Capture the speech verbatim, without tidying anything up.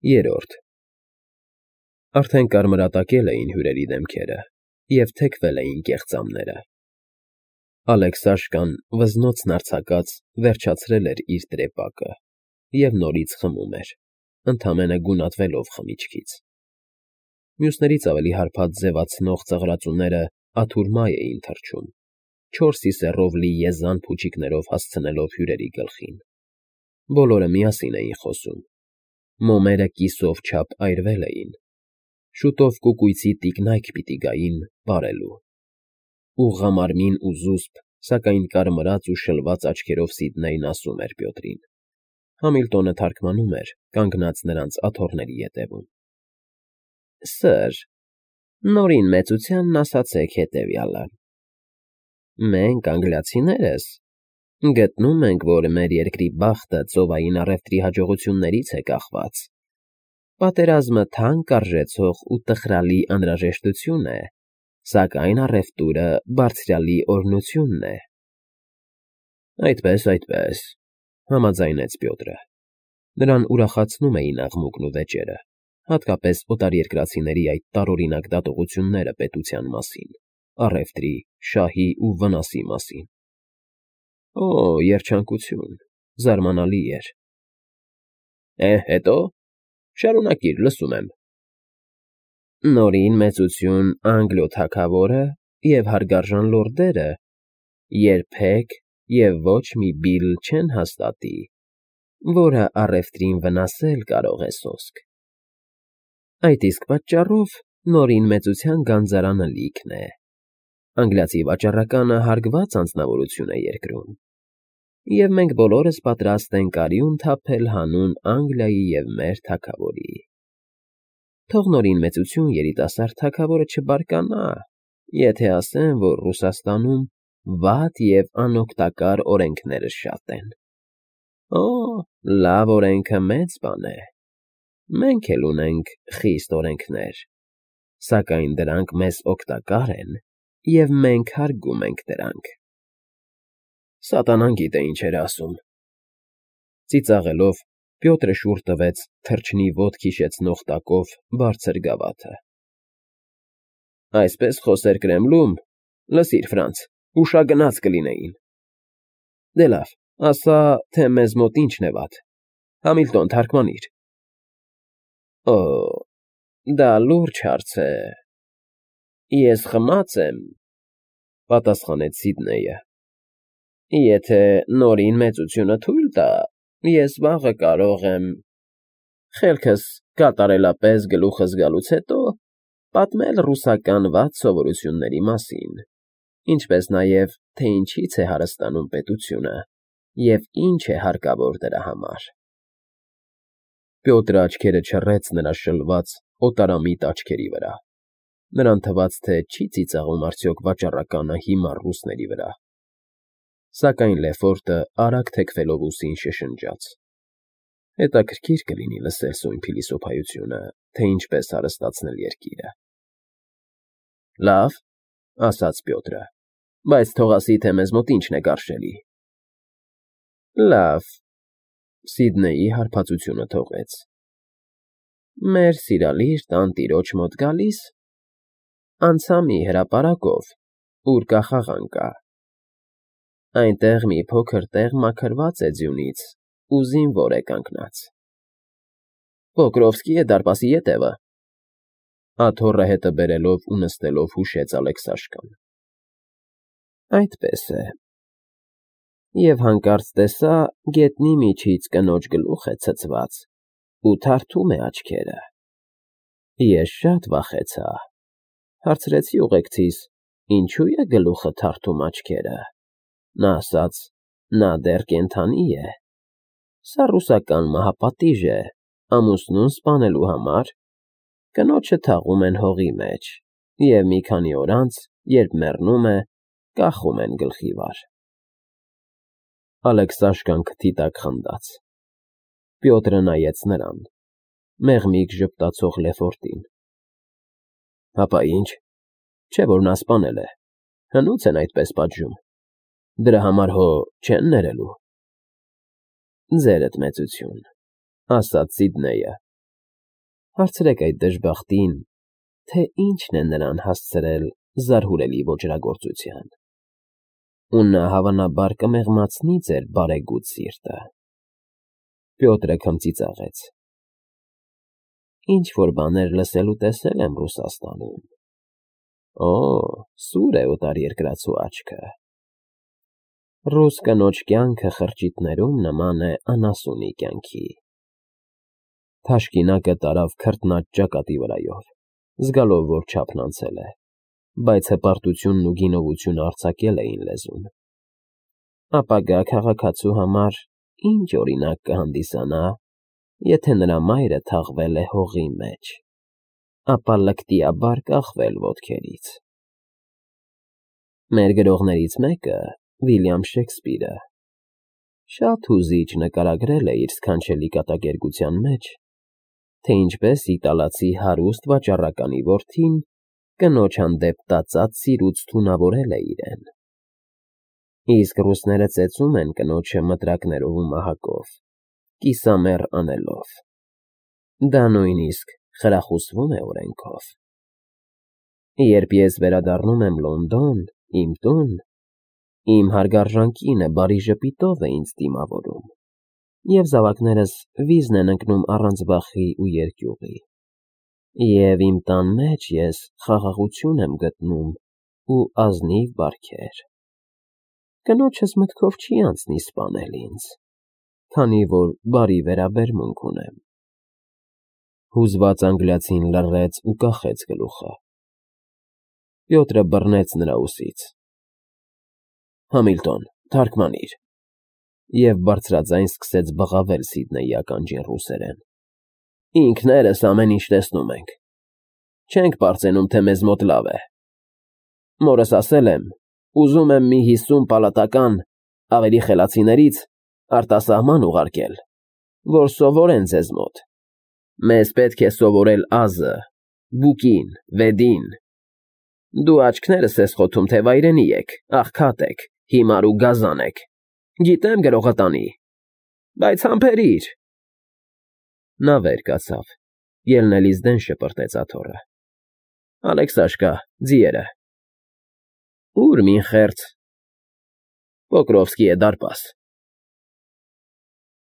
Երրորդ Արդեն կարմրատակել էին հյուրերի դեմքերը և թեքվել էին կեղծամները։ Ալեքսաշկան, վզնոցն արձակած, վերջացրել էր իր տրեպակը և նորից խմում էր, ընդամենը գունատվելով խմիչքից։ Մյուսներից ավելի հարբած ձևացնող ծղրածուները աթուր մայ էին թռչում, չոր սիսեռով լի եզան փուչիկներով հասցնելով հյուրերի գլխին։ Բոլորը միասին էին խոսում, մոմերը կիսով չափ այրվել էին, շուտով կուկույցի տիկնայք պիտի գային պարելու։ Ուղղամարմին ու զուսպ, սակայն կարմրած ու շլված աչքերով Սիդնեյն ասում էր Բյոտրին։ Համիլտոնը թարգմանում էր, կանգնած նրանց աթոռների ետևում. Սըր, Նորին մեծությանն ասացեք հետևյալը. մենք, անգլիացիներս, գտնում ենք, որ մեր երկրի բախտը ծովային առևտրի հաջողություններից է կախված։ Պատերազմը թանկ արժեցող ու տխրալի անհրաժեշտություն է, սակայն առևտուրը բարձրյալի օրհնությունն է։ Այդպես, այդպես, համաձայնեց Բյոտրը։ Նրան ուրախացնում էին աղմուկն ու վեճերը, հատկապես օտարերկրացիների այդ տարօրինակ դատողությունները պետության մասին, առևտրի, շահի ու վնասի մասին։ Օ, երջանկություն, զարմանալի էր։ Է, հետո, շարունակիր, լսում եմ։ Նորին մեծություն Անգլիո թագավորը և հարգարժան լորդերը երբեք և ոչ մի բիլ չեն հաստատի, որը առևտրին վնասել կարող է սոսկ։ Այդ իսկ պատճառով Նորին մեծության գանձարանը լիքն է։ Անգլիացի վաճառականը հարգված անձնավորություն է երկրում, և մենք բոլորս պատրաստ ենք արյուն թափել հանուն Անգլիայի և մեր թագավորի։ Թող Նորին մեծություն երիտասարդ թագավորը չբարկանա, եթե ասեմ, որ Ռուսաստանում վատ և անօգտակար օրենքները շատ են։ Օ, լավ օրենքը մեծ բան է։ Մենք էլ ունենք խիստ օրենքներ, սակայն դրանք մեզ օգտակար են, և մենք հարգում ենք դրանք։ Սատանան գիտե ինչ էր ասում։ Ծիծաղելով, Պյոտրը շուռ տվեց թռչնի ոտք հիշեցնող տակով բարձր գավաթը։ Այսպես խոսեր Կրեմլում, լսիր, Ֆրանց, ուշագնաց կլինեին։ Դե լավ, ասա, թե մեզ մոտ ինչն է վատ։ Համիլտոն, թարգմանիր։ Օ, դա լուրջ հարց է։ Ես խմած եմ, պատասխանեց Սիդնեյը։ Եթե Նորին մեծությունը թույլ տա, ես վաղը կարող եմ, խելքս կատարելապես գլուխս գալուց հետո, պատմել ռուսական վատ սովորությունների մասին, ինչպես նաև, թե ինչից է հարստանում պետությունը և ինչ է հարկավոր դրա համար։ Պյոտրը աչքերը չռեց նրա շլված, օտարամիտ աչքերի վրա։ Նրան թվաց, թե չի ծիծաղում արդյոք վաճառականը հիմար ռուսների վրա։ Սակայն Լեֆորտը արագ թեքվելով ուսին շշնջաց. Հետաքրքիր կլինի լսել սույն փիլիսոփայությունը, թե ինչպես հարստացնել երկիրը։ Լավ, ասաց Պյոտրը, բայց թող ասի, թե մեզ մոտ ինչն է գարշելի։ Լավ, Սիդնեյի հարբածությունը թողեց։ Մեր սիրալիր տանտիրոջ մոտ գալիս, անցա մի հրապարակով, ուր կա խաղան կա։ Այնտեղ մի փոքր տեղ մաքրված է ձյունից ու զինվոր է կանգնած։ Պոկրովսկի է դարպասի ետևը, աթոռը հետը բերելով ու նստելով հուշեց Ալեքսաշկան։ Այդպես է։ Եվ հանկարծ տեսա գետնի միջից կնոջ գլուխ է ցցված ու թարթում է աչքերը։ Ես շատ վախեցա, հարցրեցի ուղեկցիս. ինչու է գլուխը թարթում աչքերը։ Նա ասաց. նա դեռ կենդանի է։ Սա ռուսական մահապատիժ է, ամուսնուն սպանելու համար։ Կնոջը թաղում են հողի մեջ, և մի քանի օր անց, երբ մեռնում է, կախում են գլխի վար։ Ալեքսաշկան քթի տակ խնդաց։ Պյոտրը նայեց նրան, մեղմիկ ժպտացող Լեֆորտին։ Հապա ինչ, չէ՞ որ նա սպանել է, հնուց են այդպես պատժում։ Դրա համար հո չեն ներելու։ Ձերդ մեծություն, ասաց Սիդնեյը, Հարցրեք այդ դժբախտին, թե ինչն է նրան հասցրել զարհուրելի ոճրագործության, ու նա հավանաբար կմեղմացնի ձեր բարեգութ սիրտը։ Պյոտրը քմծիծաղեց. Ինչ-որ բաներ լսել ու տեսել եմ Ռուսաստանում։ Օ, սուր է օտարերկրացու աչքը։ Ռուս կնոջ կյանքը խրճիթներում նման է անասունի կյանքի։ Թաշկինակը տարավ քրտնած ճակատի վրայով, զգալով, որ չափն անցել է, բայց հպարտությունն ու գինովությունը արձակել էին լեզուն։ Ապագա քաղաքացու համար ինչ օրինակ կհանդիսանա, եթե նրա մայրը թաղվել է հողի մեջ, ապա լկտիաբար կախվել ոտքերից։ Մեր գրողներից մեկը, Վիլյամ Շեքսպիրը, շատ հուզիչ նկարագրել է իր սքանչելի կատակերգության մեջ, թե ինչպես իտալացի հարուստ վաճառականի որդին կնոջ հանդեպ տածած սիրուց թունավորել է իրեն։ Իսկ ռուսները ծեծում են կնոջը մտրակներով ու մահակով, կիսամեռ անելով։ Դա նույնիսկ խրախուսվում է օրենքով։ Երբ ես վերադառնում եմ Լոնդոն, իմ տուն, իմ հարգարժան կինը բարի ժպիտով է ինձ դիմավորում, և զավակներս վիզն են ընկնում առանց վախի ու երկյուղի, և իմ տան մեջ ես խաղաղություն եմ գտնում ու ազնիվ բարքեր։ Կնոջս մտքով չի անցնի սպանել ինձ, քանի որ բարի վերաբերմունք ունեմ։ Հուզված անգլիացին լռեց ու կախեց գլուխը։ Պյոտրը բռնեց նրա ուսից. Համիլտոն, թարգմանիր, և բարձրաձայն սկսեց բղավել Սիդնեյի ականջին ռուսերեն։ Ինքներս ամեն ինչ տեսնում ենք, չենք պարծենում, թե մեզ մոտ լավ է։ Մորս ասել եմ, ուզում եմ մի հիսուն պալատական, ավելի խելացիներից արտասահման ուղարկել, որ սովորեն ձեզ մոտ։ Մեզ պետք է սովորել ազը, բուկին, վեդին։ Դու աչքներս ես խոթում, թե վայրենի եք, աղքատ եք, հիմար ու գազան եք։ Գիտեմ գրողատանի, բայց համբերիր։ Նա վեր կացավ, ելնելիս դեն շպրտեց աթոռը։ Ալեքսաշկա, ձիերը։ Ուր մին խերց։ Պոկրովսկի է դարպաս։